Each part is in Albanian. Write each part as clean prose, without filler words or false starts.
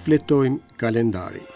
Shfletojmë kalendarin.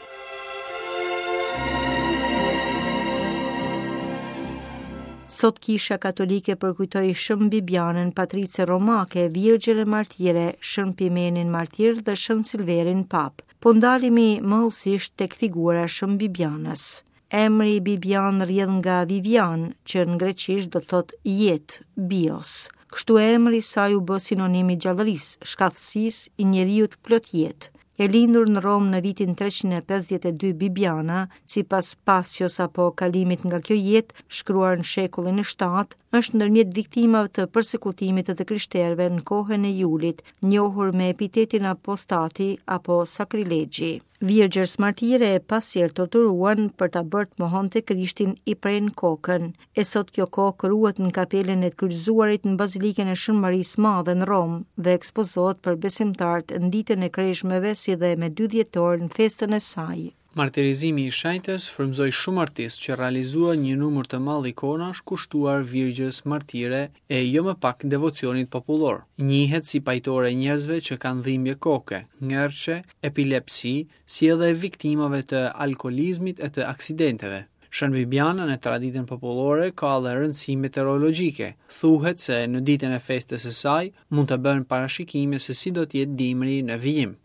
Sot Kisha Katolike përkujtoi Shën Bibianën, patrice romake, virgjër e martire, Shën Pimenin martir dhe Shën Silverin papë. Po ndalemi më hollësisht tek figura e Shën Bibianës. Emri Bibianë rrjedh nga Vivian, që në greqisht do të thotë jetë, bios. Kështu emri i saj u bë sinonim i gjallërisë, shkathtësisë, i njeriut plot jetë. E lindur në Romë në vitin 352 Bibiana, sipas Pasios apo kalimit nga kjo jetë, shkruar në shekullin e 7, është ndërmjet viktimave të persekutimit të të krishterëve në kohën e Julit, njohur me epitetin apostati apo sakrilegji. Virgjërs martire e pasi e torturuan për ta bërë të mohonte Krishtin i prenë kokën. E sot kjo kokë ruhet në kapelën e të kryqëzuarit në Bazilikën e Shën Marisë së Madhe në Romë dhe ekspozohet për besimtarët në ditën e kreshmeve si dhe me 2 dhjetor në festën e saj. Martirizimi i shenjtës frymëzoi shumë artistë që realizuan një numër të madh ikonash kushtuar Virgjës Martire e jo më pak devocionit popullor. Njihet si pajtore e njerëzve që kanë dhimbje koke, ngërçe, epilepsi, si edhe e viktimave të alkoolizmit e të aksidenteve. Shën Bibiana në traditën popullore ka edhe rëndësi meteorologjike. Thuhet se në ditën e festës së saj mund të bëhen parashikime se si do të jetë dimri në vijim.